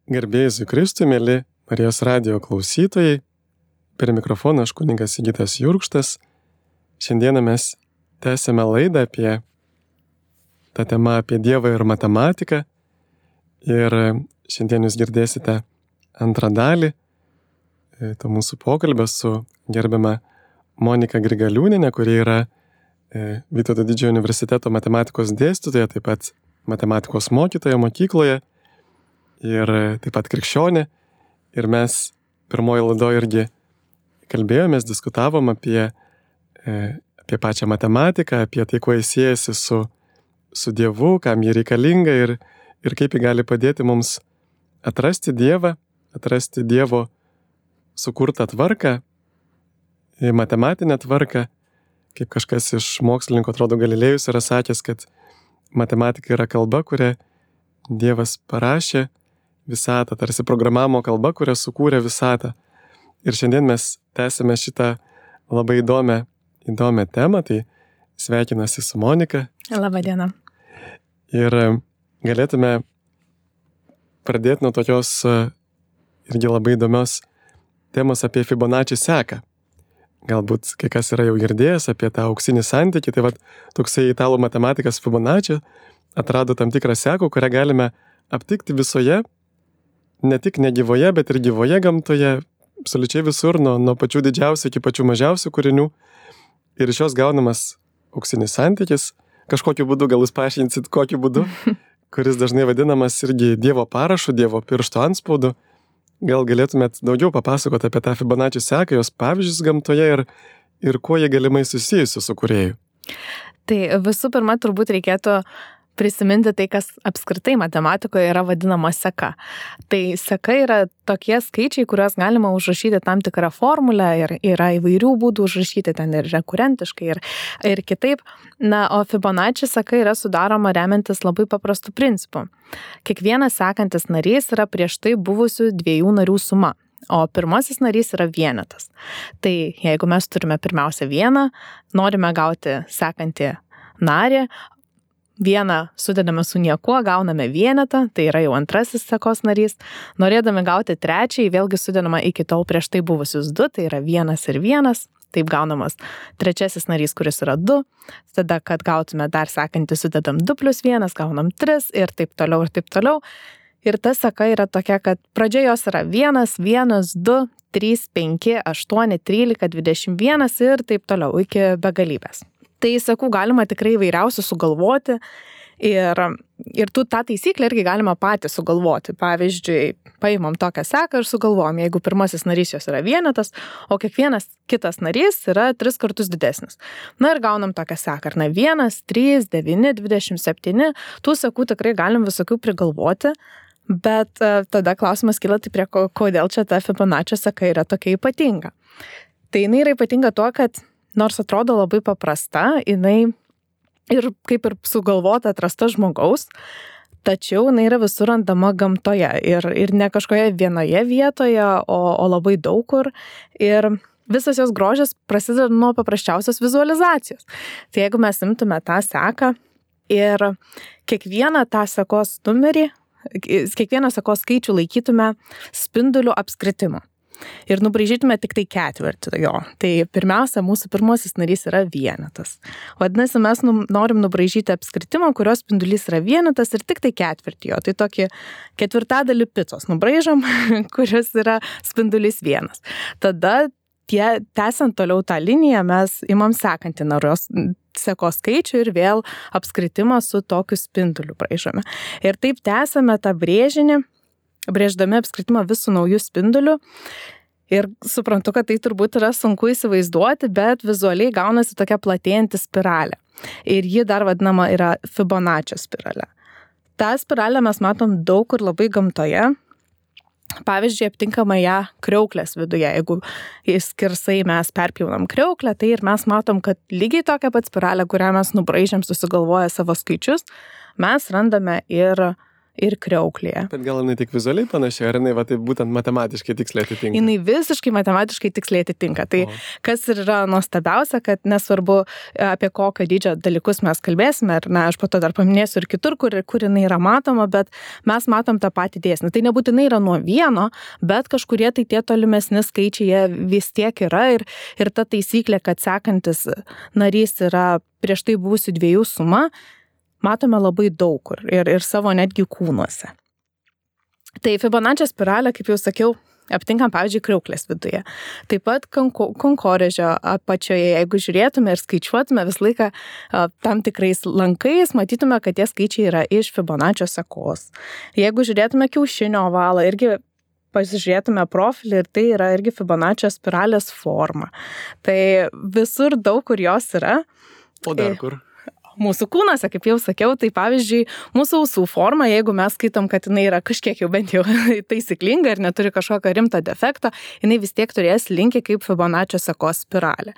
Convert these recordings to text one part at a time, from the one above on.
Garbė Jėzui Kristui, mėly Marijos radijo klausytojai, per mikrofoną aš kunigas Sigitas Jurkštas. Šiandieną mes tęsėme laidą apie tą temą apie Dievą ir matematiką. Ir šiandien jūs girdėsite antrą dalį to mūsų pokalbio su gerbiama Monika Grigaliūnienė, kuri yra Vytauto Didžiojo universiteto matematikos dėstytoja, taip pat matematikos mokytoja mokykloje ir taip pat krikščionė. Ir mes pirmoje laidoje irgi kalbėjomės, diskutavom apie pačią matematiką, apie tai, kuo jis siejasi su Dievu, kam jį reikalinga ir kaip jį gali padėti mums atrasti Dievą, atrasti Dievo sukurtą tvarką, matematinę tvarką. Kaip kažkas iš mokslininkų, atrodo, Galilėjus yra sakęs, kad matematika yra kalba, kurią Dievas parašė visatą, tarsi programavimo kalba, kurią sukūrė visatą. Ir šiandien mes tęsime šitą labai įdomią temą, tai sveikinasi su Monika. Labą dieną. Ir galėtume pradėti nuo tokios irgi labai įdomios temos apie Fibonacci seką. Galbūt kai kas yra jau girdėjęs apie tą auksinį santykį, tai toksai italų matematikas Fibonacci atrado tam tikrą seką, kurią galime aptikti visoje, ne tik negyvoje, bet ir gyvoje gamtoje, absoliučiai visur, nuo pačių didžiausių iki pačių mažiausių kūrinių. Ir iš jos gaunamas auksinis santykis, kažkokiu būdu, gal jūs paaiškinsit, kokiu būdu, kuris dažnai vadinamas irgi Dievo parašu, Dievo piršto antspaudu. Gal galėtumėt daugiau papasakoti apie tą Fibonacci seką, jos pavyzdžius gamtoje ir kuo jie galimai susijusi su kūrėju? Tai visų pirma, turbūt reikėtų prisiminti tai, kas apskritai matematikoje yra vadinama seka. Tai seka yra tokie skaičiai, kuriuos galima užrašyti tam tikrą formulę ir yra įvairių būdų užrašyti ten ir rekurentiškai ir kitaip. O Fibonacci seka yra sudaroma remiantis labai paprastu principu. Kiekvienas sekantis narys yra prieš tai buvusių dviejų narių suma, o pirmasis narys yra vienetas. Tai jeigu mes turime pirmiausia vieną, norime gauti sekantį narį, vieną sudedame su niekuo, gauname vienetą, tai yra jau antrasis sekos narys. Norėdami gauti trečiąjį, vėlgi sudedama iki tol prieš tai buvusius du, tai yra vienas ir vienas. Taip gaunamas trečiasis narys, kuris yra 2. Tada, kad gautume dar sekantį, sudedam 2 + 1, gaunam 3 ir taip toliau ir taip toliau. Ir ta seka yra tokia, kad pradžioje jos yra 1, 1, 2, 3, 5, 8, 13, 21 ir taip toliau iki begalybės. Tai sekų galima tikrai įvairiausių sugalvoti ir tą taisyklę irgi galima patys sugalvoti. Pavyzdžiui, paimam tokią seką ir sugalvojam, jeigu pirmasis narys jos yra vienetas, o kiekvienas kitas narys yra 3 kartus didesnis. Ir gaunam tokią seką. 1, 3, 9, 27. Tų sekų tikrai galim visokių prigalvoti, bet tada klausimas kyla, tai prie kodėl čia ta Fibonacci seka yra tokia ypatinga. Tai jinai yra ypatinga tuo, kad nors atrodo labai paprasta, jinai ir kaip ir sugalvota atrasta žmogaus, tačiau jinai yra visur randama gamtoje ir ne kažkoje vienoje vietoje, o labai daug kur. Ir visas jos grožis prasideda nuo paprasčiausios vizualizacijos. Tai jeigu mes imtume tą seką ir kiekvieną tą sekos numerį, kiekvieną sekos skaičių laikytume spindulių apskritimu. Ir nubraižytume tik tai ketvirtį jo. Tai pirmiausia, mūsų pirmasis narys yra vienetas. Vadinasi, mes norim nubraižyti apskritimą, kurios spindulys yra vienetas ir tik tai ketvirtį jo. Tai tokį ketvirtadalį picos nubraižom, kuris yra spindulys 1. Tada, tęsiant toliau tą liniją, mes imam sekantį narios sekos skaičių ir vėl apskritimą su tokiu spinduliu braižome. Ir taip tęsiame tą brėžinį, brėždami apskritimą vis su naujų spinduliu. Ir suprantu, kad tai turbūt yra sunku įsivaizduoti, bet vizualiai gaunasi tokia platėjanti spiralė. Ir ji dar vadinama yra Fibonacci spiralė. Ta spiralę mes matom daug kur labai gamtoje. Pavyzdžiui, aptinkama ją kriauklės viduje. Jeigu skersai mes perpjaunam kriauklę, tai ir mes matom, kad lygiai tokia pat spiralė, kurią mes nubraižėm susigalvoję savo skaičius, mes randame ir ir kriauklėje. Bet gal jinai tik vizualiai panašiai, ar jinai va, taip būtent matematiškai tiksliai atitinka? Jinai visiškai matematiškai tiksliai atitinka. Tai kas ir yra nuostabiausia, kad nesvarbu apie kokio dydžio dalykus mes kalbėsime, ir aš po to dar paminėsiu ir kitur, kur jinai yra matoma, bet mes matom tą patį dėsnį. Tai nebūtinai yra nuo vieno, bet kažkurie tai tie tolimesni skaičiai jie vis tiek yra ir ta taisyklė, kad sekantis narys yra prieš tai buvusių dviejų suma, matome labai daug kur ir savo netgi kūnuose. Tai Fibonaccio spiralę, kaip jau sakiau, aptinkam, pavyzdžiui, kriauklės viduje. Taip pat kankorėžio apačioje, jeigu žiūrėtume ir skaičiuotume visą laiką tam tikrais lankais, matytume, kad tie skaičiai yra iš Fibonaccio sekos. Jeigu žiūrėtume kiaušinio ovalą, irgi pasižiūrėtume profilį ir tai yra irgi Fibonaccio spiralės forma. Tai visur daug kur jos yra. O dar kur? Mūsų kūnuose, kaip jau sakiau, tai pavyzdžiui, mūsų ausų forma, jeigu mes skaitom, kad jinai yra kažkiek jau bent jau taisyklinga ir neturi kažkokio rimto defekto, jinai vis tiek turės linkį kaip Fibonaccio sekos spiralė.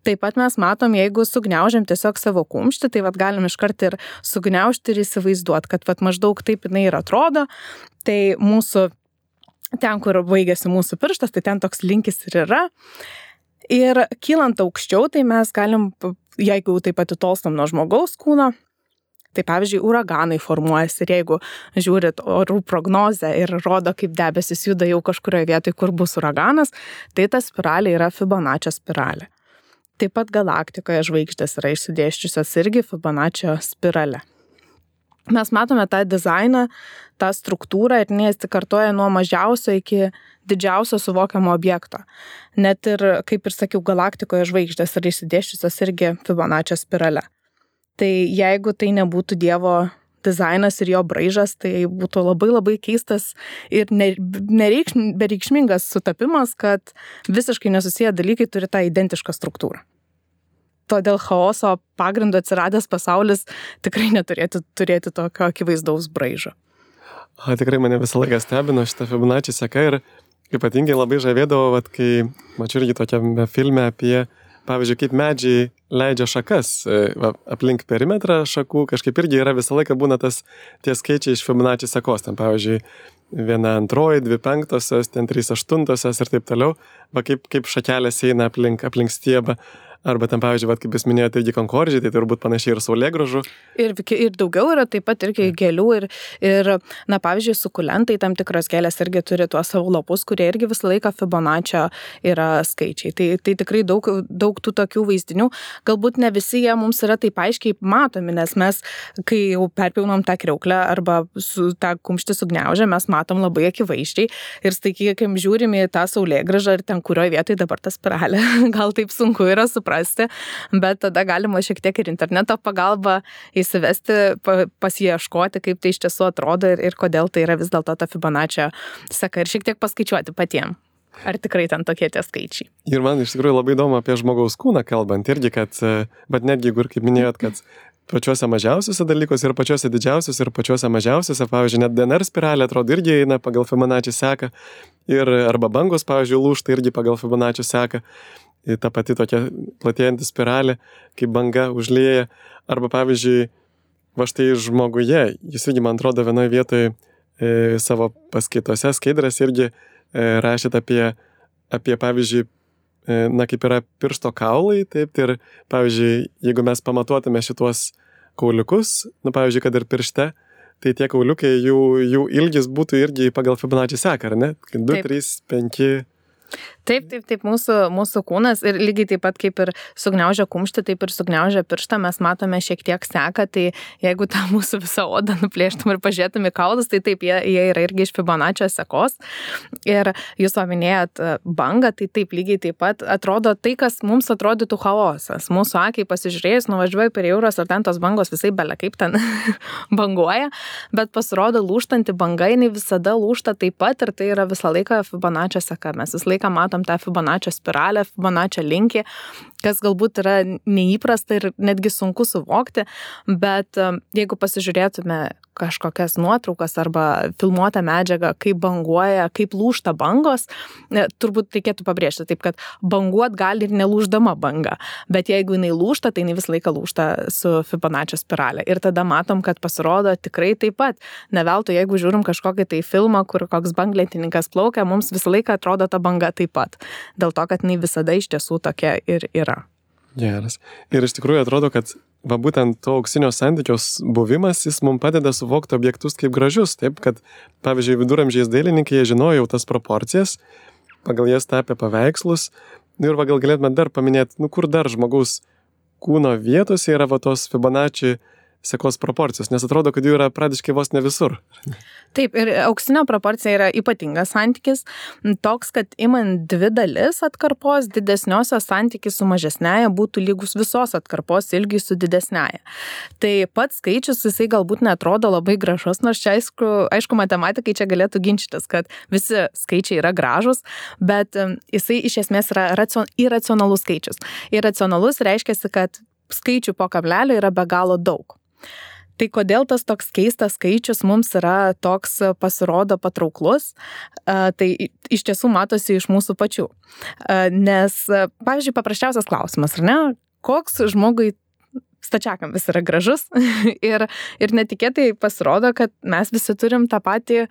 Taip pat mes matom, jeigu sugniaužiam tiesiog savo kumštį, tai galim iškart ir sugniaužti ir įsivaizduoti, kad maždaug taip jinai ir atrodo, tai mūsų, ten, kur baigėsi mūsų pirštas, tai ten toks linkis ir yra. Ir kylant aukščiau, tai mes galim, jeigu taip pat atitolstam nuo žmogaus kūno, tai pavyzdžiui, uraganai formuojasi ir jeigu žiūrit orų prognozę ir rodo, kaip debesis juda jau kažkurioje vietoje, kur bus uraganas, tai ta spiralė yra Fibonaccio spiralė. Taip pat galaktikoje žvaigždės yra išsidėsčiusios irgi Fibonaccio spirale. Mes matome tą dizainą, tą struktūrą ir nesikartoja nuo mažiausio iki didžiausio suvokiamo objekto. Net ir, kaip ir sakiau, galaktikoje žvaigždės yra išsidėsčiusios irgi Fibonaccio spirale. Tai jeigu tai nebūtų Dievo dizainas ir jo braižas, tai būtų labai labai keistas ir bereikšmingas sutapimas, kad visiškai nesusiję dalykai turi tą identišką struktūrą. Todėl chaoso pagrindu atsiradęs pasaulis tikrai neturėtų turėti tokio akivaizdaus braižo. Tikrai mane visą laiką stebino šitą Fibonaccio seka ir ypatingai labai žavėdavo, kai mačiau irgi tokiame filme apie, pavyzdžiui, kaip medžiai leidžia šakas aplink perimetrą šakų, kažkaip irgi yra visą laiką būna tie skaičiai iš Fibonaccio sekos, ten pavyzdžiui, 1/2, 2/5, ten 3/8 ir taip toliau, kaip šakelės eina aplink stiebą. Arba ten, pavyzdžiui, kaip jūs minėjote, irgi kankorėžiai, tai turbūt panašiai ir saulėgrąžų. Ir daugiau yra taip pat irgi gėlių ir pavyzdžiui, sukulentai, tam tikros gėlės irgi turi tuos savo lapus, kurie irgi visą laiką Fibonaccio yra skaičiai. Tai tikrai daug tų tokių vaizdinių. Galbūt ne visi jie mums yra taip aiškiai matomi, nes mes, kai jau perpjaunam tą kriauklę arba su tą kumštį sugniaužę, mes matom labai akivaizdžiai ir staigiai, žiūrime į tą saulėgrąžą ir ten kurioje vietoje dabar ta spiralė. Gal taip sunku yra suprasti, bet tada galima šiek tiek ir interneto pagalba įsivesti, pasiieškoti, kaip tai iš tiesų atrodo ir kodėl tai yra vis dėlto ta Fibonaccio seka ir šiek tiek paskaičiuoti patiem. Ar tikrai ten tokie tie skaičiai? Ir man iš tikrųjų labai įdomu apie žmogaus kūną kalbant irgi, bet netgi, kaip minėjot, kad pačiuose mažiausiuose dalykuose ir pačiuose didžiausiuose ir pačiuose mažiausiuose, pavyzdžiui, net DNR spiralė atrodo irgi eina pagal Fibonaccio seką ir arba bangos, pavyzdžiui, lūžta irgi pagal Fibonaccio seką. Ta pati tokia platėjanti spiralė, kaip banga užlieja. Arba pavyzdžiui, va štai žmoguje, jis irgi, man atrodo, vienoje vietoje savo paskaitose skaidrės irgi rašėt apie pavyzdžiui, kaip yra piršto kaulai, taip, ir pavyzdžiui, jeigu mes pamatuotume šituos kauliukus, pavyzdžiui, kad ir piršte, tai tie kauliukai, jų ilgis būtų irgi pagal Fibonaccio seką, ar ne? 2, 3, 5... Taip, mūsų kūnas ir lygiai taip pat kaip ir sugniaužia kumštį, taip ir sugniaužia pirštą, mes matome šiek tiek seką, tai jeigu tą mūsų visą odą nuplėštum ir pažiūrėtum į kaulus, tai taip, jie yra irgi iš Fibonaccio sekos. Ir jūs paminėjot bangą, tai taip lygiai taip pat atrodo tai, kas mums atrodytų chaosas. Mūsų akiai pasižiūrėjus, nuvažiuoji per jūros ir ten tos bangos visai bele kaip ten banguoja, bet pasirodo lūžtanti banga, jinai visada lūžta taip pat ir tai yra visą laiką Fibonaccio seka. Mes visą laiką matom tą Fibonaccio spiralę, Fibonaccio linkį, kas galbūt yra neįprasta ir netgi sunku suvokti, bet jeigu pasižiūrėtume kažkokias nuotraukas arba filmuotą medžiagą, kaip banguoja, kaip lūžta bangos, turbūt reikėtų pabrėžti taip, kad banguot gali ir nelūždama banga, bet jeigu jinai lūžta, tai jinai visą laiką lūžta su Fibonaccio spiralė. Ir tada matom, kad pasirodo tikrai taip pat. Ne veltui, jeigu žiūrim kažkokį tai filmą, kur koks banglentininkas plaukia, mums visą laiką atrodo ta banga taip pat. Dėl to, kad jinai visada iš tiesų tokia ir yra. Geras. Ir iš tikrųjų atrodo, kad būtent to auksinio santykios buvimas, jis mums padeda suvokti objektus kaip gražius. Taip, kad, pavyzdžiui, viduramžiais dailininkai jie žinojo tas proporcijas, pagal jas tapė paveikslus. Ir gal galėtume dar paminėti, kur dar žmogaus kūno vietose yra tos Fibonacci sekos proporcijos, nes atrodo, kad jų yra praktiškai vos ne visur. Taip, ir auksinio proporcija yra ypatingas santykis, toks, kad imant dvi dalis atkarpos, didesniosios santykis su mažesnėje būtų lygus visos atkarpos ilgiui su didesnėje. Tai pats skaičius, jisai galbūt netrodo labai gražus, nors čia aišku matematikai čia galėtų ginčytis, kad visi skaičiai yra gražus, bet jisai iš esmės yra iracionalus skaičius. Iracionalus reiškia, kad skaičių po kablelio yra be galo daug. Tai kodėl tas toks keistas skaičius mums yra toks pasirodo patrauklus, tai iš tiesų matosi iš mūsų pačių. Nes, pavyzdžiui, paprasčiausias klausimas, ar ne? Koks žmogui stačiakampis yra gražus ir netikėtai pasirodo, kad mes visi turim tą patį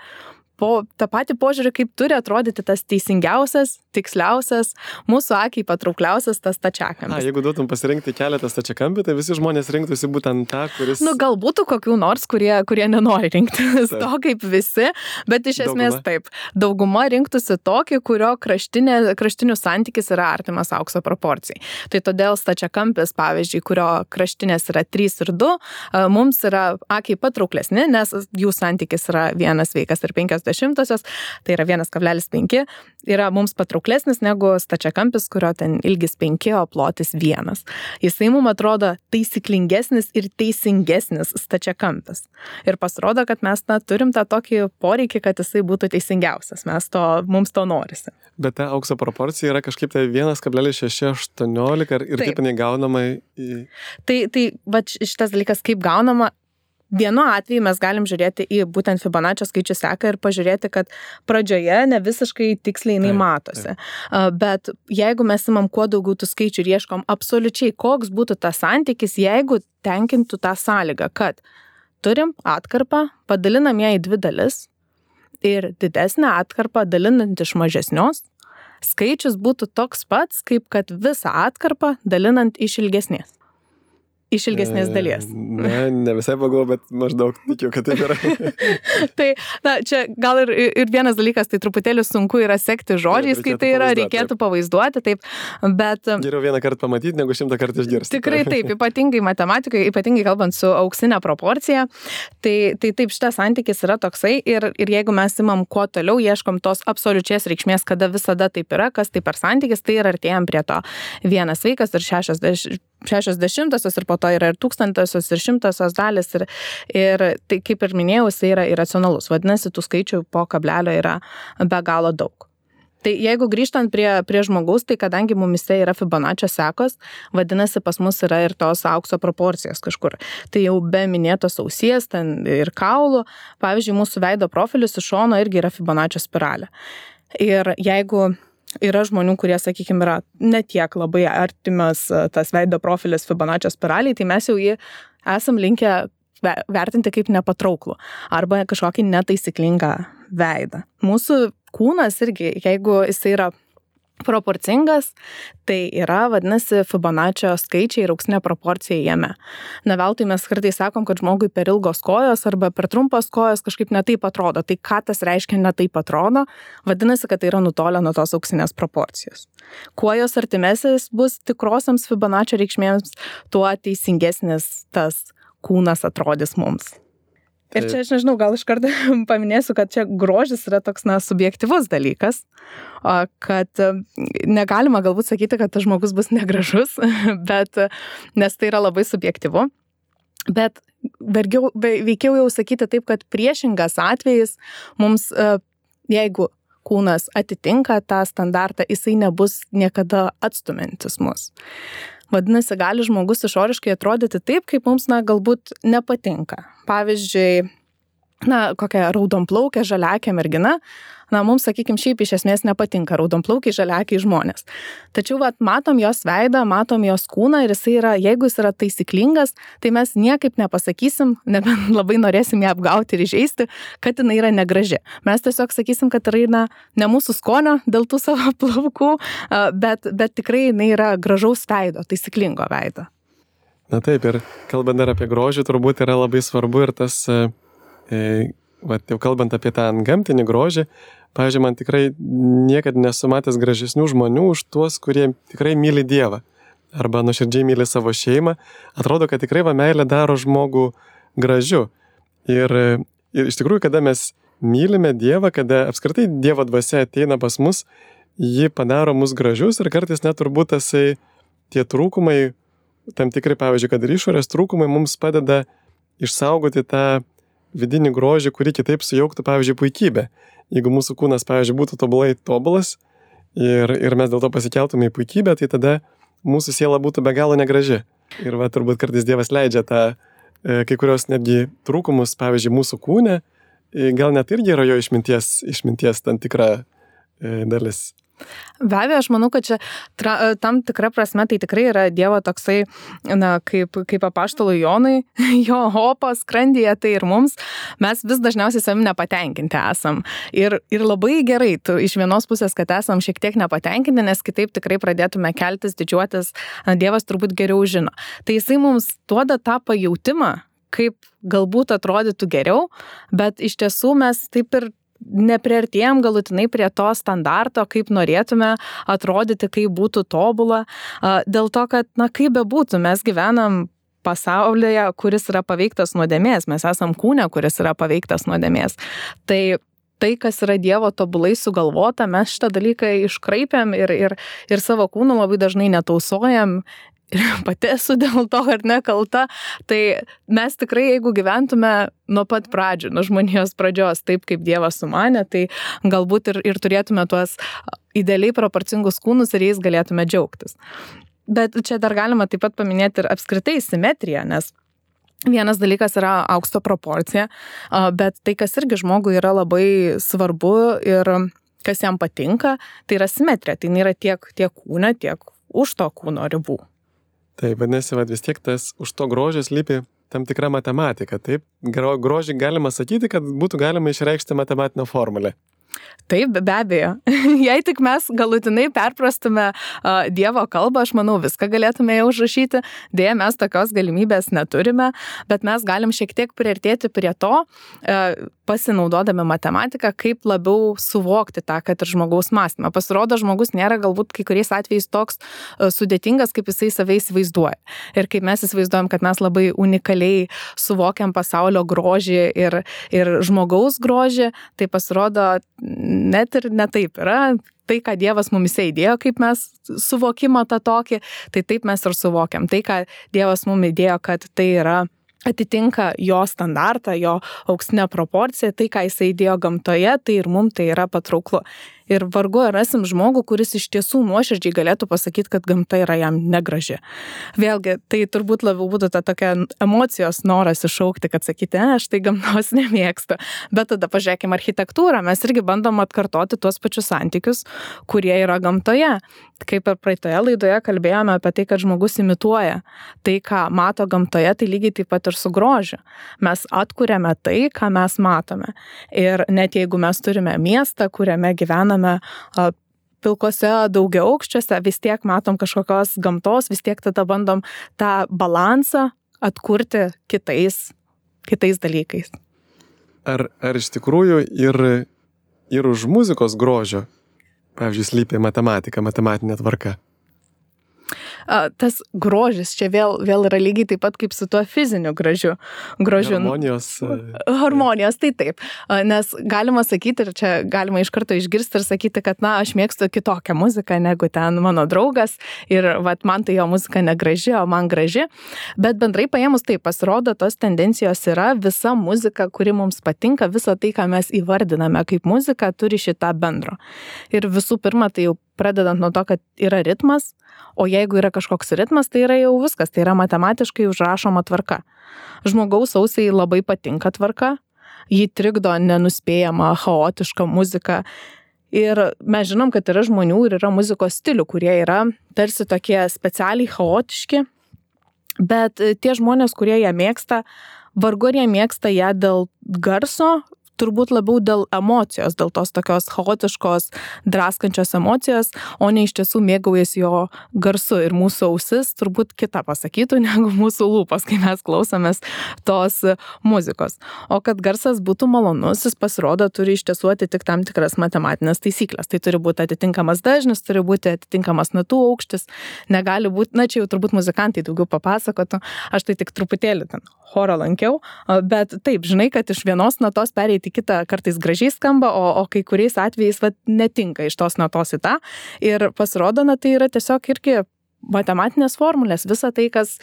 požiūrį, kaip turi atrodyti tas teisingiausias, tiksliausias, mūsų akiai patraukliausias tas stačiakampis. Jeigu duotum pasirinkti keletą stačiakampių, tai visi žmonės rinktųsi būtent tą, kuris... Galbūt kokių nors, kurie nenori rinktis to kaip visi, bet iš esmės taip. Dauguma rinktųsi tokį, kurio kraštinių santykis yra artimas aukso proporcijai. Tai todėl stačiakampis, pavyzdžiui, kurio kraštinės yra 3 ir 2, mums yra akiai patrauklesni, nes jų santykis yra 1,5, tai yra 1,5, yra mums patrauklesnis negu stačiakampis, kurio ten ilgis 5, o plotis 1. Jisai mums atrodo taisyklingesnis ir teisingesnis stačiakampis. Ir pasirodo, kad mes turim tą tokį poreikį, kad jisai būtų teisingiausias. Mums to norisi. Bet ta aukso proporcija yra kažkaip tai 1,618 ir kaip jinai gaunama į... Tai va šitas dalykas kaip gaunama. Vienu atveju mes galim žiūrėti į būtent Fibonaccio skaičių seką ir pažiūrėti, kad pradžioje ne visiškai tiksliai jinai matosi. Bet jeigu mes imam kuo daugiau tų skaičių ir ieškom absoliučiai, koks būtų tas santykis, jeigu tenkintų tą sąlygą, kad turim atkarpą, padalinam ją į 2 dalis ir didesnę atkarpą dalinant iš mažesnios, skaičius būtų toks pats, kaip kad visą atkarpą dalinant iš ilgesnės. Iš ilgesnės dalies. Ne visai pagalvoju, bet maždaug tikiu, kad taip yra. Tai, čia gal ir vienas dalykas, tai truputėlį sunku yra sekti žodžiais, kai tai yra, reikėtų pavaizduoti, taip, bet... Geriau vieną kartą pamatyti, negu 100 kartų išgirsti. Tikrai taip, ypatingai matematikai, ypatingai kalbant su auksinė proporcija, tai taip šitas santykis yra toksai ir jeigu mes imam kuo toliau, ieškom tos absoliučios reikšmės, kada visada taip yra, kas tai per santykis, tai ir artėjam prie to 1 sveikas ir 60 ir po to yra ir 1000 ir 100 dalis ir tai, kaip ir minėjau, jisai yra iracionalus. Vadinasi, tų skaičių po kablelio yra be galo daug. Tai jeigu grįžtant prie žmogaus, tai kadangi mumise yra Fibonaccio sekos, vadinasi, pas mus yra ir tos aukso proporcijos kažkur. Tai jau be minėtos ausies, ten ir kaulų, pavyzdžiui, mūsų veido profilis iš šono irgi yra Fibonaccio spiralė. Ir jeigu yra žmonių, kurie, sakykime, yra netiek labai artimas tas veido profilis Fibonaccio spiraliai, tai mes jau jį esam linkę vertinti kaip nepatrauklų arba kažkokį netaisyklingą veidą. Mūsų kūnas irgi, jeigu jisai yra proporcingas, tai yra, vadinasi, Fibonaccio skaičiai ir auksinė proporcija jame. Ne veltui mes kartais sakom, kad žmogui per ilgos kojos arba per trumpos kojos kažkaip netaip atrodo. Tai ką tas reiškia netaip atrodo? Vadinasi, kad tai yra nutolę nuo tos auksinės proporcijos. Kuo jos artimesnis bus tikrosiams Fibonaccio reikšmėms, tuo teisingesnis tas kūnas atrodys mums. Ir čia, aš nežinau, gal iš karto paminėsiu, kad čia grožis yra toks, subjektyvus dalykas, kad negalima galbūt sakyti, kad tas žmogus bus negražus, nes tai yra labai subjektyvu, bet veikiau jau sakyti taip, kad priešingas atvejis mums, jeigu kūnas atitinka tą standartą, jisai nebus niekada atstumiantis mus. Vadinasi, gali žmogus išoriškai atrodyti taip, kaip mums galbūt nepatinka. Pavyzdžiui, kokia raudonplaukė, žaliakė mergina, mums, sakykime, šiaip iš esmės nepatinka raudonplaukiai, žaliakiai žmonės. Tačiau matom jos veidą, matom jos kūną ir jeigu jis yra taisyklingas, tai mes niekaip nepasakysim, nebent labai norėsim ją apgauti ir įžeisti, kad jinai yra negraži. Mes tiesiog sakysim, kad yra ne mūsų skonio dėl tų savo plaukų, bet tikrai jinai yra gražaus veido, taisyklingo veido. Na taip, ir kalbant dar apie grožį, turbūt yra labai svarbu ir tas, jau kalbant apie tą gamtinį grožį, pavyzdžiui, man tikrai niekad nesu matęs gražesnių žmonių už tuos, kurie tikrai myli Dievą arba nuoširdžiai myli savo šeimą. Atrodo, kad tikrai meilė daro žmogų gražiu. Ir iš tikrųjų, kada mes mylime Dievą, kada apskritai Dievo dvasia ateina pas mus, ji padaro mus gražius ir kartais net turbūt tie trūkumai, tam tikrai, pavyzdžiui, kad ir išorės trūkumai mums padeda išsaugoti tą vidinį grožį, kurį kitaip sujauktų, pavyzdžiui, puikybė. Jeigu mūsų kūnas, pavyzdžiui, būtų tobulai tobulas ir mes dėl to pasikeltume į puikybę, tai tada mūsų siela būtų be galo negraži. Ir turbūt kartais Dievas leidžia kai kurios netgi trūkumus, pavyzdžiui, mūsų kūne, gal net irgi yra jo išminties tam tikra dalis. Be abejo, aš manau, kad čia tam tikra prasme tai tikrai yra Dievo toksai, kaip apaštalui Jonui, jo opas skrandyje, tai ir mums, mes vis dažniausiai savim nepatenkinti esam. Ir labai gerai, iš vienos pusės, kad esam šiek tiek nepatenkinti, nes kitaip tikrai pradėtume keltis, didžiuotis, Dievas turbūt geriau žino. Tai jisai mums duoda tą pajautimą, kaip galbūt atrodytų geriau, bet iš tiesų mes taip ir nepriartėjom galutinai prie to standarto, kaip norėtume atrodyti, kaip būtų tobula. Dėl to, kad, kaip bebūtų, mes gyvenam pasaulyje, kuris yra paveiktas nuodėmės, mes esam kūne, kuris yra paveiktas nuodėmės. Tai, kas yra Dievo tobulai sugalvota, mes šitą dalyką iškraipėm ir savo kūną labai dažnai netausojam. Ir pati esu dėl to, ar nekalta, tai mes tikrai, jeigu gyventume nuo pat pradžių, nuo žmonijos pradžios, taip kaip Dievas sumanė, tai galbūt ir turėtume tuos idealiai proporcingus kūnus ir jais galėtume džiaugtis. Bet čia dar galima taip pat paminėti ir apskritai simetriją, nes vienas dalykas yra aukšto proporcija, bet tai, kas irgi žmogui yra labai svarbu ir kas jam patinka, tai yra simetrija, tai nėra tiek kūne, tiek už to kūno ribų. Tai vadinasi, vis tiek tas už to grožio slypi tam tikra matematika. Taip, grožį galima sakyti, kad būtų galima išreikšti matematinę formulę. Taip, be abejo. Jei tik mes galutinai perprastume Dievo kalbą, aš manau, viską galėtume jau užrašyti. Deja, mes tokios galimybės neturime, bet mes galim šiek tiek priartėti prie to, pasinaudodami matematiką, kaip labiau suvokti tą, kad ir žmogaus mąstymą. Pasirodo, žmogus nėra galbūt kai kuriais atvejais toks sudėtingas, kaip jisai save įsivaizduoja. Ir kaip mes įsivaizduojam, kad mes labai unikaliai suvokiam pasaulio grožį ir žmogaus grožį, tai pasirodo net ir netaip yra. Tai, ką Dievas mumise įdėjo, kaip mes suvokimą tą tokį, tai taip mes ir suvokiam. Tai, ką Dievas mum įdėjo, kad tai yra atitinka jo standartą, jo auksinę proporciją, tai, ką jisai įdėjo gamtoje, tai ir mum tai yra patrauklu. Ir vargu rasim žmogų, kuris iš tiesų nuoširdžiai galėtų pasakyti, kad gamta yra jam negraži. Vėlgi, tai turbūt labiau būtų ta tokia emocijos noras iššaukti, kad sakyti, aš tai gamtos nemėgstu. Bet tada pažiūrėkime architektūrą, mes irgi bandom atkartoti tuos pačius santykius, kurie yra gamtoje. Kaip ir praeitoje laidoje kalbėjome apie tai, kad žmogus imituoja tai, ką mato gamtoje, tai lygiai taip pat ir su grožiu. Mes atkuriame tai, ką mes matome. Ir net jeigu mes turime miestą, kuriame gyvename pilkose daugiaaukščiuose, vis tiek matom kažkokios gamtos, vis tiek tada bandom tą balansą atkurti kitais dalykais. Ar iš tikrųjų ir už muzikos grožio, pavyzdžiui, slypi matematika, matematinė tvarka? Tas grožis čia vėl yra lygiai taip pat kaip su tuo fiziniu grožiu. Harmonijos, tai taip. Nes galima sakyti, ir čia galima iš karto išgirsti ir sakyti, kad aš mėgstu kitokią muziką negu ten mano draugas ir man tai jo muzika negraži, o man graži. Bet bendrai paėmus taip, pasirodo, tos tendencijos yra visa muzika, kuri mums patinka, visa tai, ką mes įvardiname kaip muzika, turi šitą bendro. Ir visų pirma, tai jau pradedant nuo to, kad yra ritmas, o jeigu yra kažkoks ritmas, tai yra jau viskas, tai yra matematiškai užrašoma tvarka. Žmogaus ausiai labai patinka tvarka, jį trikdo nenuspėjama, chaotiška muzika. Ir mes žinom, kad yra žmonių ir yra muzikos stilių, kurie yra tarsi tokie specialiai chaotiški, bet tie žmonės, kurie ją mėgsta, vargu ar jie mėgsta ją dėl garso, turbūt labiau dėl emocijos, dėl tos tokios chaotiškos, draskančios emocijos, o ne iš tiesų mėgaujasi jo garsu. Ir mūsų ausis turbūt kita pasakytų negu mūsų lūpos, kai mes klausomės tos muzikos. O kad garsas būtų malonus, jis pasirodo turi iš tiesų atitikti tam tikras matematinės taisyklės. Tai turi būti atitinkamas dažnis, turi būti atitinkamas natų aukštis, negali būti, čia jau turbūt muzikantai daugiau papasakotų, aš tai tik truputėlį ten chorą lankiau, bet taip, žinai, kad iš vienos natos pereiti kitą kartais gražiai skamba, o kai kuriais atvejais netinka iš tos natos į tą. Ir pasirodo, tai yra tiesiog irgi matematinės formulės. Visa tai, kas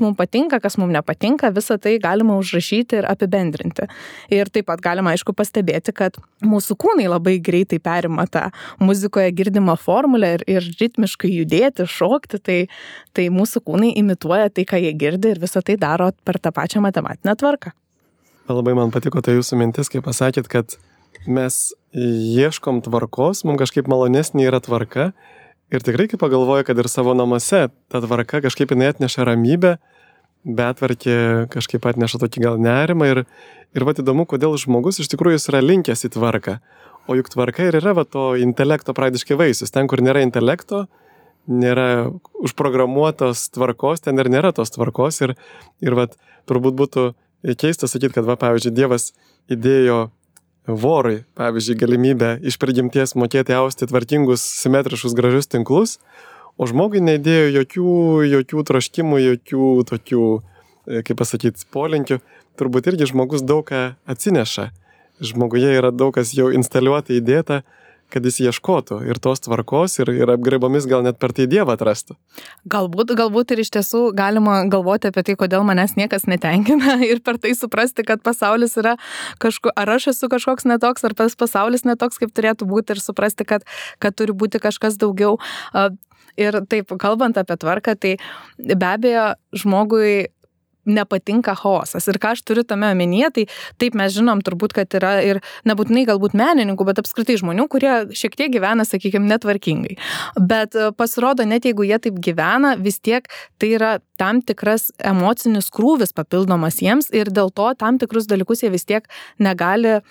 mums patinka, kas mums nepatinka, visa tai galima užrašyti ir apibendrinti. Ir taip pat galima, aišku, pastebėti, kad mūsų kūnai labai greitai perima tą muzikoje girdimą formulę ir ritmiškai judėti, šokti, tai mūsų kūnai imituoja tai, ką jie girdi ir visa tai daro per tą pačią matematinę tvarką. Labai man patiko ta jūsų mintis, kai pasakėt, kad mes ieškom tvarkos, mums kažkaip malonesnė yra tvarka. Ir tikrai, kai pagalvoju, kad ir savo namuose ta tvarka kažkaip jinai atneša ramybę, betvarkė kažkaip atneša tokį gal nerimą. Ir įdomu, kodėl žmogus iš tikrųjų yra linkęs į tvarką. O juk tvarka ir yra to intelekto praktiškai vaisius. Ten, kur nėra intelekto, nėra užprogramuotos tvarkos, ten ir nėra tos tvarkos. Ir turbūt būtų keista sakyti, kad, pavyzdžiui, Dievas įdėjo vorui, pavyzdžiui, galimybę iš prigimties mokėti austi tvarkingus, simetriškus, gražius tinklus, o žmogui neįdėjo jokių troškimų, jokių tokių, kaip pasakyti, polinkių. Turbūt irgi žmogus daug ką atsineša. Žmoguje yra daug kas jau instaliuota, įdėta, kad jis ieškotų ir tos tvarkos ir apgraibomis gal net per tai Dievą atrastų. Galbūt ir iš tiesų galima galvoti apie tai, kodėl manęs niekas netenkina ir per tai suprasti, kad pasaulis yra ar aš esu kažkoks netoks, ar pasaulis netoks, kaip turėtų būti ir suprasti, kad turi būti kažkas daugiau. Ir taip, kalbant apie tvarką, tai be abejo žmogui nepatinka chaosas. Ir ką aš turiu tame omenyje, tai taip mes žinom turbūt, kad yra ir nebūtinai galbūt menininkų, bet apskritai žmonių, kurie šiek tiek gyvena, sakykime, netvarkingai. Bet pasirodo, net jeigu jie taip gyvena, vis tiek tai yra tam tikras emocinis krūvis papildomas jiems ir dėl to tam tikrus dalykus jie vis tiek negali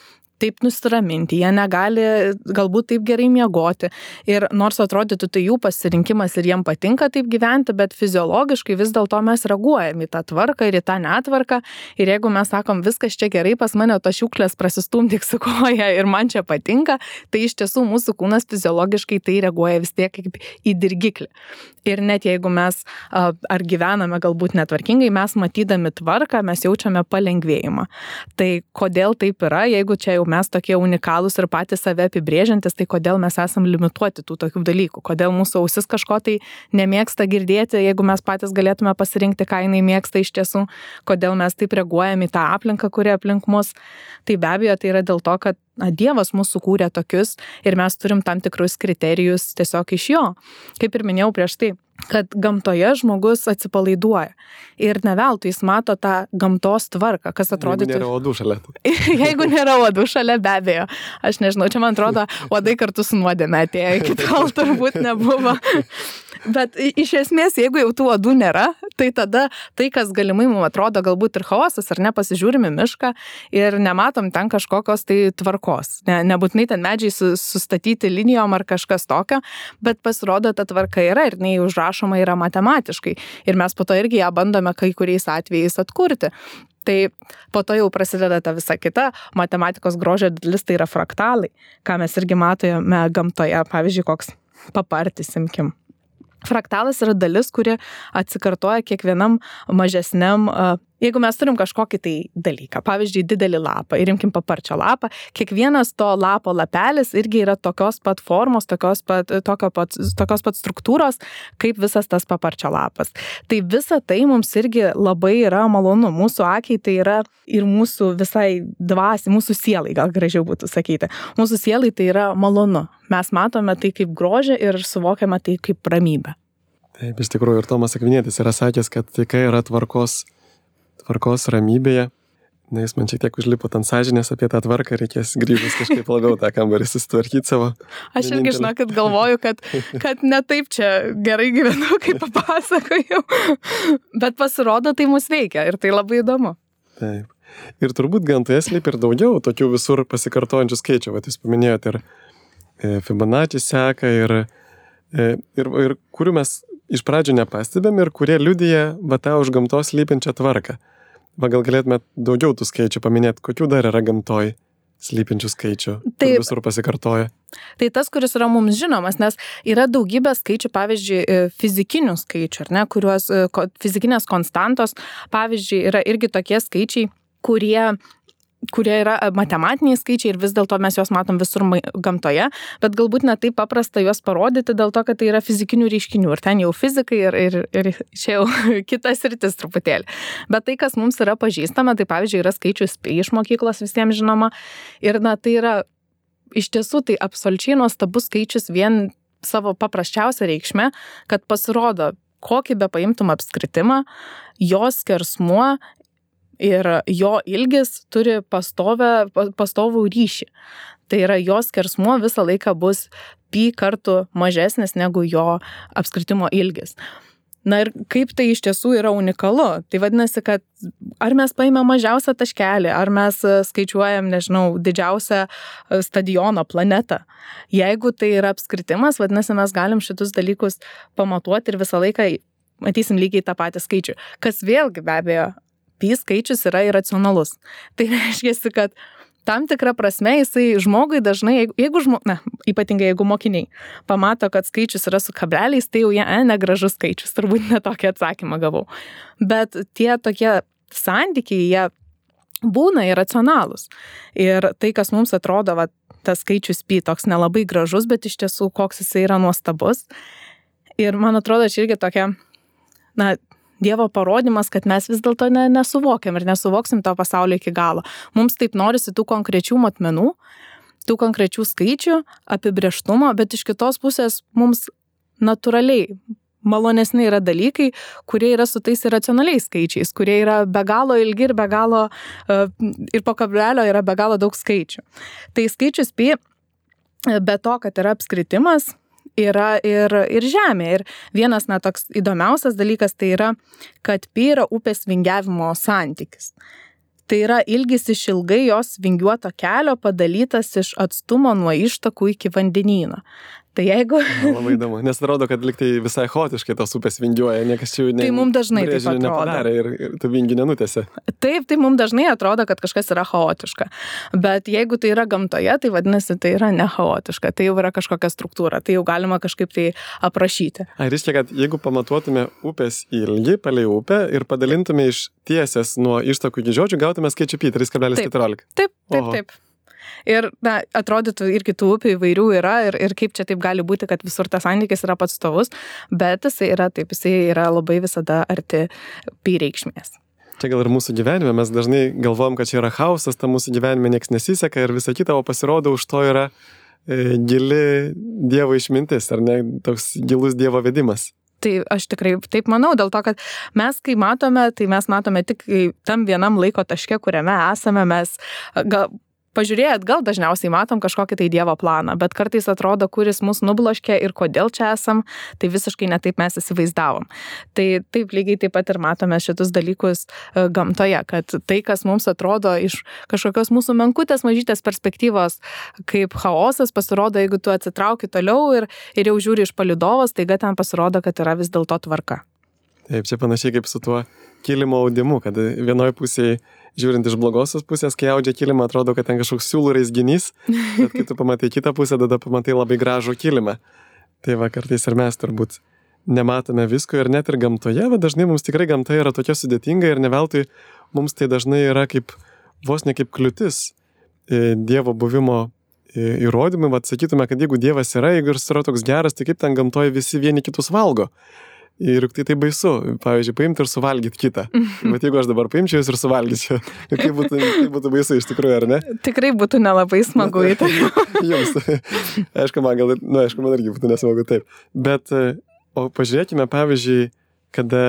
taip nusiraminti, jie negali galbūt taip gerai miegoti. Ir nors atrodytų tai jų pasirinkimas ir jiem patinka taip gyventi, bet fiziologiškai vis dėlto mes reaguojam į tą tvarką ir į tą netvarką. Ir jeigu mes sakom, viskas čia gerai, pas mane to šiukšlės prasistumdyk su koja ir man čia patinka, tai iš tiesų mūsų kūnas fiziologiškai tai reaguoja vis tiek kaip į dirgiklį. Ir net jeigu mes ar gyvename galbūt netvarkingai, mes matydami tvarką, mes jaučiame palengvėjimą. Tai kodėl taip yra, jeigu čia jau mes tokie unikalūs ir patys save apibrėžiantis, tai kodėl mes esam limituoti tų tokių dalykų, kodėl mūsų ausis kažko tai nemėgsta girdėti, jeigu mes patys galėtume pasirinkti, ką jinai mėgsta iš tiesų, kodėl mes taip reaguojame į tą aplinką, kuri aplink mus. Tai be abejo, tai yra dėl to, kad Dievas mūsų kūrė tokius ir mes turim tam tikrus kriterijus tiesiog iš jo. Kaip ir minėjau prieš tai, kad gamtoje žmogus atsipalaiduoja. Ir ne veltui jis mato tą gamtos tvarką, kas atrodytų... Jeigu nėra uodų šalia. Jeigu nėra uodų šalia, be abejo. Aš nežinau, čia man atrodo, uodai kartu su nuodėme atėjo, iki tol turbūt nebuvo. Bet iš esmės, jeigu jau tų uodų nėra, tai tada tai, kas galimai mums atrodo galbūt ir chaosas, ar ne, pasižiūrime mišką ir nematom ten kažkokios tai tvarkos. Nebūtinai ten medžiai sustatyti linijom ar kažkas tokio, bet pasirodo, ta tvarka yra ir jinai užrašoma yra matematiškai. Ir mes po to irgi ją bandome kai kuriais atvejais atkurti. Tai po to jau prasideda ta visa kita matematikos grožio dalis, tai yra fraktalai, ką mes irgi matome gamtoje, pavyzdžiui, koks papartis, imkim. Fraktalas yra dalis, kuri atsikartoja kiekvienam mažesniam, jeigu mes turim kažkokį tai dalyką, pavyzdžiui, didelį lapą ir imkim paparčio lapą, kiekvienas to lapo lapelis irgi yra tokios pat formos, tokios pat struktūros, kaip visas tas paparčio lapas. Tai visa tai mums irgi labai yra malonu. Mūsų akiai tai yra ir mūsų visai dvasiai, mūsų sielai, gal gražiau būtų sakyti. Mūsų sielai tai yra malonu. Mes matome tai kaip grožį ir suvokiame tai kaip ramybę. Taip, iš tikrųjų, ir Tomas Akvinietis yra sakęs, kad taika yra tvarkos ramybėje, Na, jis man šiek tiek užlipo ant sąžinės apie tą tvarką, reikės grįžus kažkaip labiau tą kambarį susitvarkyti savo. Aš irgi žinokit galvoju, kad ne taip čia gerai gyvenu, kaip papasakojau, bet pasirodo tai mus veikia ir tai labai įdomu. Taip. Ir turbūt gamtoje slypi ir daugiau tokių visur pasikartojančių skaičių. Vat jūs paminėjote ir Fibonacci seką ir kurių mes iš pradžių nepastebėm ir kurie liudija va tą už gamtos slypinčią tvarką. Va gal galėtume daugiau tų skaičių paminėti, kokių dar yra gamtoj slypinčių skaičių, kur visur pasikartoja. Tai tas, kuris yra mums žinomas, nes yra daugybė skaičių, pavyzdžiui, fizikinių skaičių, ar ne, kuriuos fizikinės konstantos, pavyzdžiui, yra irgi tokie skaičiai, kurie yra matematiniai skaičiai ir vis dėlto mes juos matom visur gamtoje, bet galbūt ne taip paprasta juos parodyti dėl to, kad tai yra fizikinių reiškinių ir ten jau fizikai ir čia jau kitas sritis truputėlį. Bet tai, kas mums yra pažįstama, tai pavyzdžiui yra skaičius pi iš mokyklos visiems žinoma ir tai yra iš tiesų tai absoliučiai nuostabus skaičius vien savo paprasčiausią reikšmę, kad pasirodo, kokį be paimtum apskritimą, jos skersmuo ir jo ilgis turi pastovų ryšį. Tai yra jos skersmuo visą laiką bus pi kartų mažesnis negu jo apskritimo ilgis. Na ir kaip tai iš tiesų yra unikalu. Tai vadinasi, kad ar mes paimame mažiausią taškelį, ar mes skaičiuojam, nežinau, didžiausią stadiono planetą. Jeigu tai yra apskritimas, vadinasi, mes galim šitus dalykus pamatuoti ir visą laiką matysim lygiai tą patį skaičių. Kas vėlgi be abejo, pi skaičius yra iracionalus. Tai reiškia, kad tam tikrą prasme jisai žmogui dažnai, ypatingai jeigu mokiniai pamato, kad skaičius yra su kableliais, tai jau jie negražus skaičius, turbūt netokį atsakymą gavau. Bet tie tokie santykiai, jie būna iracionalūs. Ir tai, kas mums atrodo, tas skaičius pi toks nelabai gražus, bet iš tiesų koks jisai yra nuostabus. Ir man atrodo, čia irgi tokia, Dievo parodimas, kad mes vis dėlto nesuvokiam ir nesuvoksim to pasaulio iki galo. Mums taip norisi tų konkrečių matmenų, tų konkrečių skaičių, apibrėžtumo, bet iš kitos pusės mums natūraliai malonesni yra dalykai, kurie yra su tais iracionaliais skaičiais, kurie yra be galo ilgi ir be galo, ir po kablelio yra be galo daug skaičių. Tai skaičius pi, be to, kad yra apskritimas, yra ir žemė. Ir vienas toks įdomiausias dalykas tai yra, kad pi yra upės vingiavimo santykis. Tai yra ilgis iš ilgai jos vingiuoto kelio padalytas iš atstumo nuo ištakų iki vandenyno. Tai jeigu... Labai įdomu, nes atrodo, kad liktai visai chaotiškai tos upės vingiuoja, niekas čia tai mums dažnai taip atrodo. Nepadarė ir tų vingių nenutėse. Taip, tai mums dažnai atrodo, kad kažkas yra chaotiška. Bet jeigu tai yra gamtoje, tai vadinasi, tai yra ne chaotiška, tai jau yra kažkokia struktūra, tai jau galima kažkaip tai aprašyti. Reiškia, kad jeigu pamatuotume upės ilgį palei upę ir padalintume iš tiesės nuo ištakų iki žiočių, gautume skaičių pi 3,14. Taip. Ir atrodytų ir kitų upių įvairių yra ir kaip čia taip gali būti, kad visur tas santykis yra pats stovus, bet jisai yra labai visada arti pi reikšmės. Čia gal ir mūsų gyvenime, mes dažnai galvojam, kad čia yra chaosas, ta mūsų gyvenime nieks nesiseka ir visa kita, o pasirodo už to yra gili Dievo išmintis, ar ne, toks gilus Dievo vedimas. Tai aš tikrai taip manau, dėl to, kad mes, kai matome, tai mes matome tik tam vienam laiko taške, kuriame esame, mes pažiūrėję atgal dažniausiai matom kažkokį tai Dievo planą, bet kartais atrodo, kuris mus nubloškė ir kodėl čia esam, tai visiškai netaip mes įsivaizdavom. Tai taip lygiai taip pat ir matome šitus dalykus gamtoje, kad tai, kas mums atrodo iš kažkokios mūsų menkutės mažytės perspektyvos kaip chaosas, pasirodo, jeigu tu atsitrauki toliau ir jau žiūri iš palydovos, taiga ten pasirodo, kad yra vis dėlto tvarka. Taip, čia panašiai kaip su tuo kilimo audimu, kad vienoje pusėje, žiūrint iš blogosios pusės, kai audžia kilimą, atrodo, kad ten kažkoks siūlų raizginys, bet kai tu pamatai kitą pusę, tada pamatai labai gražų kilimą. Tai va, kartais ir mes turbūt nematome visko ir net ir gamtoje, bet dažnai mums tikrai gamta yra tokia sudėtinga ir ne veltui mums tai dažnai yra kaip, vos ne kaip kliūtis Dievo buvimo įrodymai. Vat sakytume, kad jeigu Dievas yra, jeigu jis yra toks geras, tai kaip ten gamtoje visi vieni kitus valgo. Ir tai baisu, pavyzdžiui, paimti ir suvalgyti kitą. Bet jeigu aš dabar paimčiau jūs ir suvalgyčiau, tai būtų baisu iš tikrųjų, ar ne? Tikrai būtų nelabai smagu į tai. Jums. Aišku, man irgi būtų nesmagu taip. Bet, o pažiūrėkime, pavyzdžiui, kada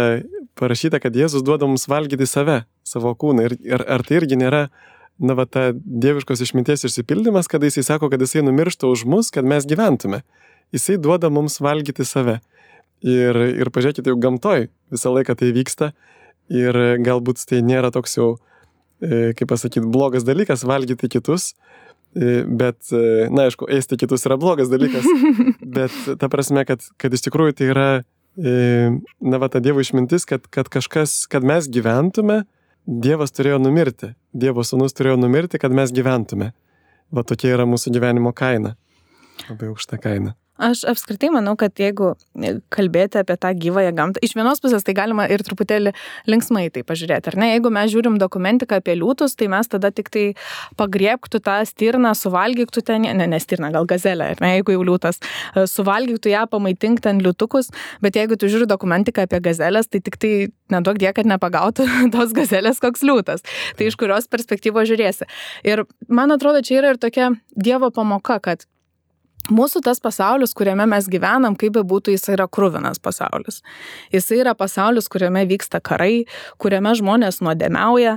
parašyta, kad Jėzus duoda mums valgyti save, savo kūną. Ir ar tai irgi nėra, ta dieviškos išminties išsipildymas, kada jisai sako, kad jisai numiršta už mus, kad mes gyventume. Jisai duoda mums valgyti save. Ir pažiūrėkite, jau gamtoj visą laiką tai vyksta. Ir galbūt tai nėra toks jau, kaip pasakyti, blogas dalykas valgyti kitus. Bet, aišku, ėsti kitus yra blogas dalykas, bet ta prasme, kad iš tikrųjų tai yra, ta Dievo išmintis, kad mes gyventume, Dievas turėjo numirti, Dievo sūnus turėjo numirti, kad mes gyventume. Va tokia yra mūsų gyvenimo kaina, labai aukšta kaina. Aš apskritai manau, kad jeigu kalbėti apie tą gyvąją gamtą, iš vienos pusės tai galima ir truputėlį linksmai tai pažiūrėti, ar ne? Jeigu mes žiūrim dokumentiką apie liūtus, tai mes tada tik tai pagriebktų tą stirną, suvalgyktų ten, ne stirną, gal gazelę, ar ne, jeigu jau liūtas, suvalgyktų ją, pamaitink ten liūtukus, bet jeigu tu žiūri dokumentiką apie gazelės, tai tik tai neduok die, kad nepagautų tos gazelės koks liūtas. Tai iš kurios perspektyvos žiūrėsi. Ir man atrodo, čia yra ir tokia Dievo pamoka, kad mūsų tas pasaulis, kuriame mes gyvenam, kaip be būtų, jis yra kruvinas pasaulis. Jis yra pasaulis, kuriame vyksta karai, kuriame žmonės nuodėmiauja,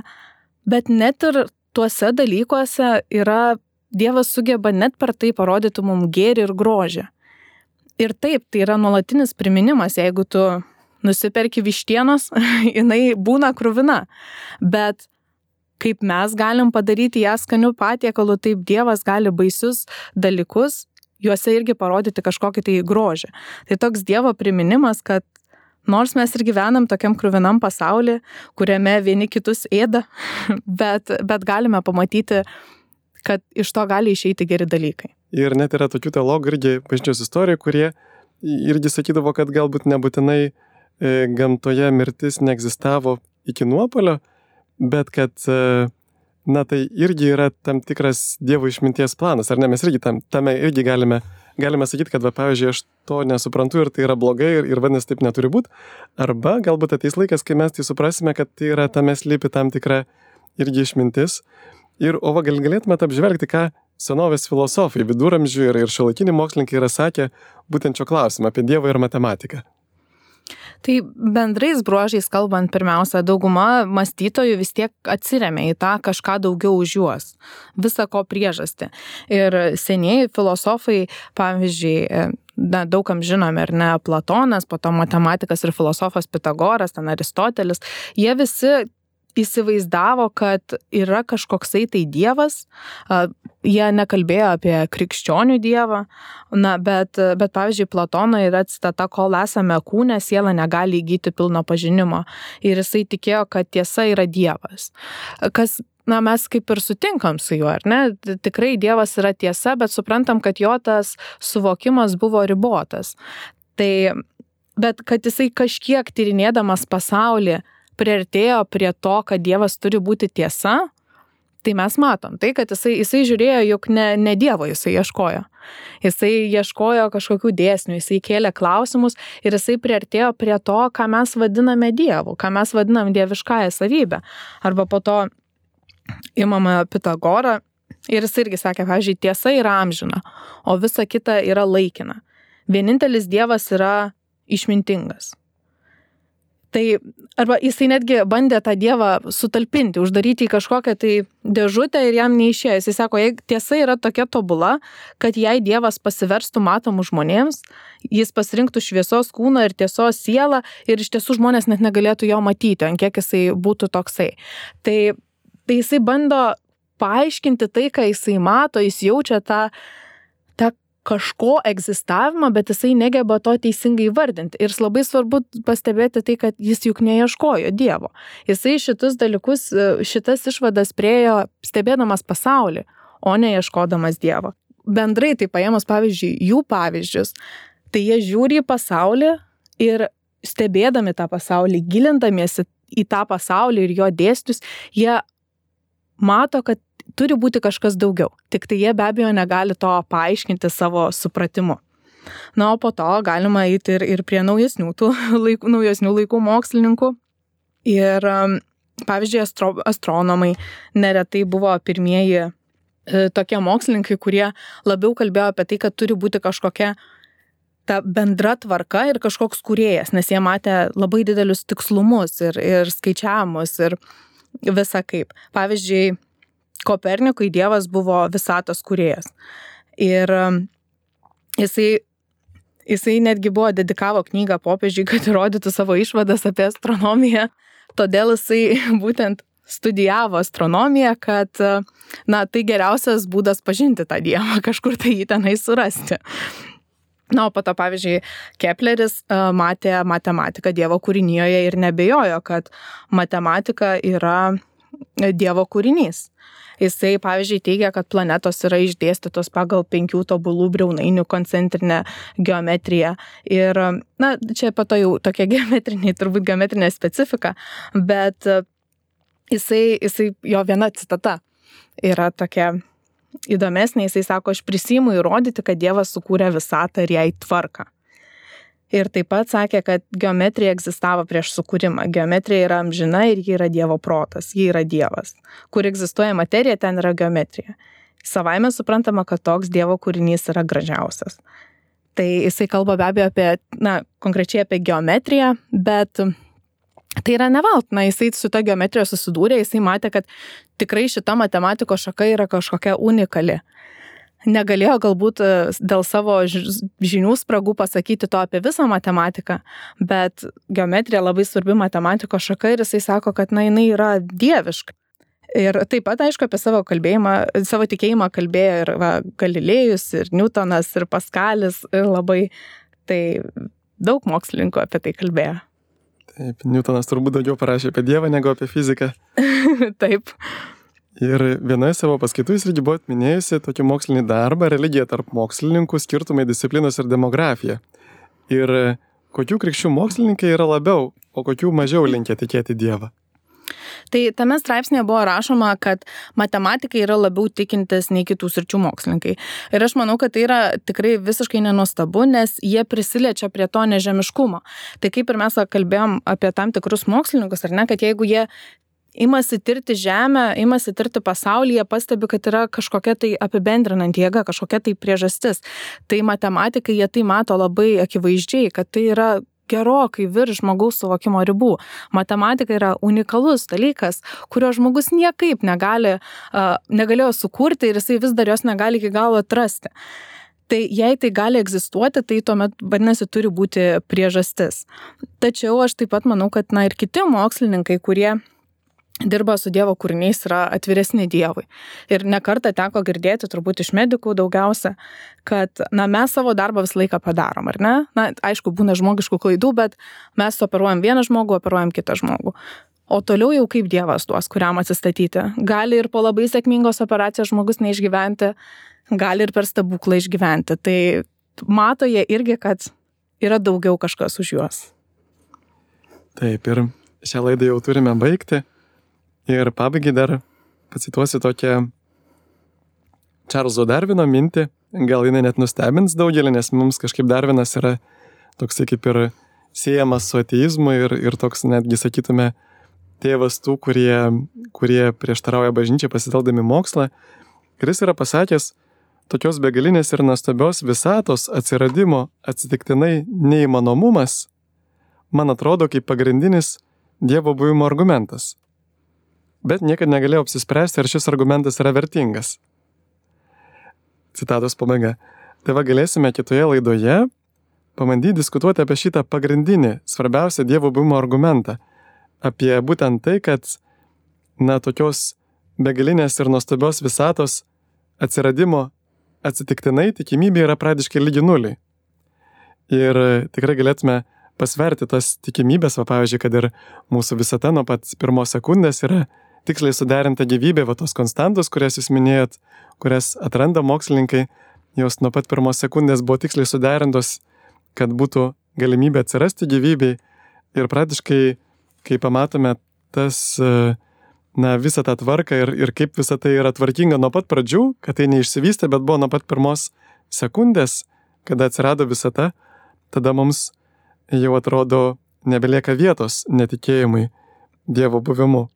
bet net ir tuose dalykuose Dievas sugeba net per tai parodyti mums gėrį ir grožį. Ir taip, tai yra nuolatinis priminimas, jeigu tu nusiperki vištienos, jinai būna kruvina, bet kaip mes galim padaryti ją skaniu patiekalu, taip Dievas gali baisius dalykus juose irgi parodyti kažkokį tai grožį. Tai toks Dievo priminimas, kad nors mes ir gyvenam tokiam kruvinam pasauly, kuriame vieni kitus ėda, bet galime pamatyti, kad iš to gali išeiti geri dalykai. Ir net yra tokių teologų irgi bažnyčios istorijų, kurie irgi sakydavo, kad galbūt nebūtinai gamtoje mirtis neegzistavo iki nuopuolio, bet kad tai irgi yra tam tikras Dievo išminties planas, ar ne? Mes irgi tame irgi galime sakyti, kad, pavyzdžiui, aš to nesuprantu ir tai yra blogai ir vadinasi taip neturi būti. Arba galbūt ateis laikas, kai mes tai suprasime, kad tai yra tame slypi tam tikra irgi išmintis. O galėtume apžvelgti, ką senovės filosofai, viduramžių ir šiuolaikiniai mokslininkai yra sakę būtent šio klausimą apie Dievą ir matematiką. Tai bendrais bruožais kalbant, pirmiausia, dauguma mąstytojų vis tiek atsiremia į tą kažką daugiau už juos, visa ko priežastį. Ir senieji filosofai, pavyzdžiui, daugam žinomi, ar ne, Platonas, po to matematikas ir filosofas Pitagoras, ten Aristotelis, jie visi įsivaizdavo, kad yra kažkoksai tai Dievas, jie nekalbėjo apie krikščionių Dievą, bet pavyzdžiui, Platono yra citata, kol esame kūne, siela negali įgyti pilno pažinimo. Ir jisai tikėjo, kad tiesa yra Dievas. Kas, mes kaip ir sutinkam su juo, ar ne? Tikrai Dievas yra tiesa, bet suprantam, kad jo tas suvokimas buvo ribotas. Bet kad jisai kažkiek tyrinėdamas pasaulį priartėjo prie to, kad Dievas turi būti tiesa, tai mes matom. Tai, kad jisai žiūrėjo, juk ne Dievo jisai ieškojo. Jisai ieškojo kažkokių dėsnių, jisai kėlė klausimus ir jisai priartėjo prie to, ką mes vadiname Dievu, ką mes vadinam dieviškąją savybę. Arba po to imame Pitagorą ir jis irgi sakė, pavyzdžiui, tiesa yra amžina, o visa kita yra laikina. Vienintelis Dievas yra išmintingas. Tai arba jisai netgi bandė tą Dievą sutalpinti, uždaryti į kažkokią tai dėžutę ir jam neišėjo. Jisai sako, jei tiesa yra tokia tobula, kad jei Dievas pasiverstų matomų žmonėms, jis pasirinktų šviesos kūną ir tiesos sielą ir iš tiesų žmonės net negalėtų jo matyti, ant kiek jisai būtų toksai. Tai jisai bando paaiškinti tai, ką jisai mato, jis jaučia tą kažko egzistavimą, bet jisai negeba to teisingai vardinti. Ir labai svarbu pastebėti tai, kad jis juk neieškojo Dievo. Jisai šitus dalykus, šitas išvadas priėjo stebėdamas pasaulį, o ne ieškodamas Dievo. Bendrai tai paėmus, pavyzdžiui, jų pavyzdžius, tai jie žiūri į pasaulį ir stebėdami tą pasaulį, gilindamiesi į tą pasaulį ir jo dėsnius, jie mato, kad turi būti kažkas daugiau. Tik tai jie be abejo negali to paaiškinti savo supratimu. O po to galima eiti ir prie naujesnių laikų mokslininkų. Ir pavyzdžiui, astronomai neretai buvo pirmieji tokie mokslininkai, kurie labiau kalbėjo apie tai, kad turi būti kažkokia ta bendra tvarka ir kažkoks kūrėjas, nes jie matė labai didelius tikslumus ir skaičiavimus ir visą kaip. Pavyzdžiui, Kopernikui Dievas buvo visatos kūrėjas. Ir jisai netgi buvo dedikavo knygą popiežiui, kad įrodytų savo išvadas apie astronomiją. Todėl jisai būtent studijavo astronomiją, kad tai geriausias būdas pažinti tą Dievą, kažkur tai jį tenai surasti. O po to, pavyzdžiui, Kepleris matė matematiką Dievo kūrinyje ir nebejojo, kad matematika yra Dievo kūrinys. Jisai, pavyzdžiui, teigia, kad planetos yra išdėstytos pagal 5 tobulų briaunainių koncentrinę geometriją. Ir, čia po to jau tokia turbūt geometrinė specifika, bet jisai, jo viena citata yra tokia įdomesnė, jisai sako, aš prisiimu įrodyti, kad Dievas sukūrė visatą ir jai tvarką. Ir taip pat sakė, kad geometrija egzistavo prieš sukūrimą. Geometrija yra amžina ir ji yra Dievo protas, ji yra Dievas. Kur egzistuoja materija, ten yra geometrija. Savaime suprantama, kad toks Dievo kūrinys yra gražiausias. Tai jisai kalba be abejo apie, konkrečiai apie geometriją, bet tai yra neveltui. Jisai su ta geometrija susidūrė, jisai matė, kad tikrai šita matematikos šaka yra kažkokia unikali. Negalėjo galbūt dėl savo žinių spragų pasakyti to apie visą matematiką, bet geometrija labai svarbi matematikos šaka ir jisai sako, kad jinai yra dieviška. Ir taip pat, aišku, apie savo tikėjimą kalbėjo ir Galilėjus, ir Newtonas, ir Paskalis, ir labai daug mokslininkų apie tai kalbėjo. Taip, Newtonas turbūt daugiau parašė apie Dievą negu apie fiziką. Taip. Ir vienoje savo paskaitų jūs irgi buvot minėjusi tokį mokslinį darbą, religija tarp mokslininkų, skirtumai disciplinos ir demografija. Ir kokių krikščių mokslininkai yra labiau, o kokių mažiau linkę tikėti Dievą? Tai tame straipsnėje buvo rašoma, kad matematikai yra labiau tikintis nei kitų sričių mokslininkai. Ir aš manau, kad tai yra tikrai visiškai nenuostabu, nes jie prisiliečia prie to nežemiškumo. Tai kaip ir mes kalbėjom apie tam tikrus mokslininkus, ar ne, kad jeigu jie imasi tirti žemę, imasi tirti pasaulį, jie pastebi, kad yra kažkokia tai apibendrinanti jėga, kažkokia tai priežastis. Tai matematikai jie tai mato labai akivaizdžiai, kad tai yra gerokai virš žmogaus suvokimo ribų. Matematika yra unikalus dalykas, kurio žmogus niekaip negalėjo sukurti ir jisai vis dar jos negali iki galo atrasti. Tai jei tai gali egzistuoti, tai tuomet, vadinasi, turi būti priežastis. Tačiau aš taip pat manau, kad ir kiti mokslininkai, kurie dirba su Dievo kūriniais, yra atviresni Dievui. Ir nekartą teko girdėti, turbūt iš medikų daugiausia, kad mes savo darbą visą laiką padarom, ar ne? Aišku, būna žmogiškų klaidų, bet mes operuojam vieną žmogų, operuojam kitą žmogų. O toliau jau kaip Dievas duos, kuriam atsistatyti. Gali ir po labai sėkmingos operacijos žmogus neišgyventi, gali ir per stebuklą išgyventi. Tai mato jie irgi, kad yra daugiau kažkas už juos. Taip, ir šią laidą jau turime baigti. Ir pabaigai dar pacituosiu tokią Čarlzo Darvino mintį, gal jinai net nustebins daugelį, nes mums kažkaip Darvinas yra toksai kaip ir siejamas su ateizmu ir toks netgi, sakytume, tėvas tų, kurie prieštarauja bažnyčiai pasitelkdami mokslą. Ir jis yra pasakęs, tokios begalinės ir nuostabios visatos atsiradimo atsitiktinai neįmanomumas, man atrodo kaip pagrindinis Dievo buvimo argumentas. Bet niekad negalėjau apsispręsti, ar šis argumentas yra vertingas. Citatos pabaiga. Tai galėsime kitoje laidoje pabandyti diskutuoti apie šitą pagrindinį, svarbiausią Dievo buvimo argumentą. Apie būtent tai, kad, tokios begalinės ir nuostabios visatos atsiradimo atsitiktinai tikimybė yra praktiškai lygi nuliui. Ir tikrai galėtume pasverti tas tikimybės, pavyzdžiui, kad ir mūsų visata nuo pat pirmos sekundės yra tiksliai suderinta gyvybė, tos konstantos, kurias jūs minėjot, kurias atranda mokslininkai, jos nuo pat pirmos sekundės buvo tiksliai suderintos, kad būtų galimybė atsirasti gyvybei. Ir praktiškai, kai pamatome visą tą tvarką ir kaip visą tai yra tvarkinga nuo pat pradžių, kad tai neišsivystė, bet buvo nuo pat pirmos sekundės, kada atsirado visata, tada mums jau atrodo nebelieka vietos netikėjimui Dievo buvimu.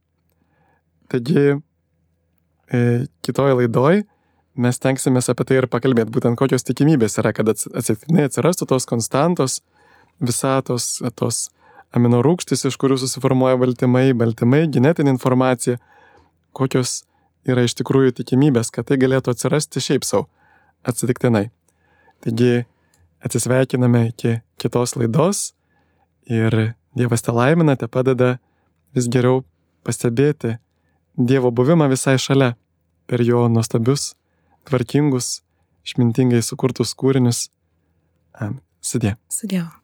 Taigi, kitoje laidoje mes tenksimės apie tai ir pakalbėti, būtent kokios tikimybės yra, kad atsitiktinai atsirastų tos konstantos, visatos, tos aminorūgštys, iš kurių susiformuoja baltymai, genetinė informacija, kokios yra iš tikrųjų tikimybės, kad tai galėtų atsirasti šiaip savo atsitiktinai. Taigi atsisveikiname iki kitos laidos ir Dievas te laimina, te padeda vis geriau pastebėti Dievo buvimą visai šalia per jo nuostabius, tvarkingus, išmintingai sukurtus kūrinius. Sudie. Su Dievu.